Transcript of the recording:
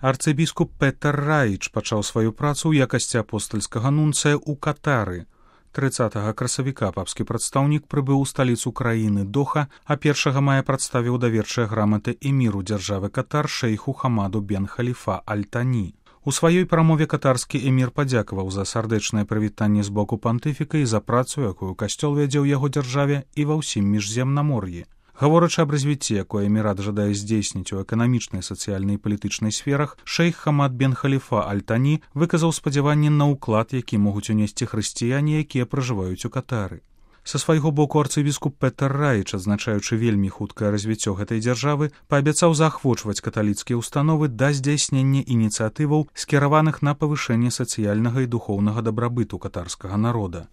Арцыбіскуп Петер Раіч пачаў сваю працу ў якасці апостальскага нунцыя ў Катары. 30 красавіка папскі прадстаўнік прыбыў у сталіцу краіны Доха, а 1 мая прадставіў даверчыя граматы эміру дзяржавы Катар шэйху Хамаду бен Халіфа Аль-Тані. У сваёй прамове катарскі эмір падзякаваў за сардэчнае прывітанне з боку пантыфіка і за працу, якую касцёл вядзе ў яго дзяржаве і ва ўсім міжземнамор'і. Гаворачы аб развіцці, якое эмірат жадае здзейсніць у эканамічнай, сацыяльнай і палітычнай сферах, шэйх Хамад бен Халіфа Аль-Тані выказаў спадзяванні на ўклад, які могуць унесці хрысціяне, якія пражываюць у Катары. Са свайго боку арцыбіскуп Петер Раіч, адзначаючы вельмі хуткае развіццё гэтай дзяржавы, паабяцаў заахвочваць каталіцкія ўстановы да здзяйснення ініцыятываў, скіраваных на павышэнне сацыяльнага і духоўнага дабрабыту катарскага народа.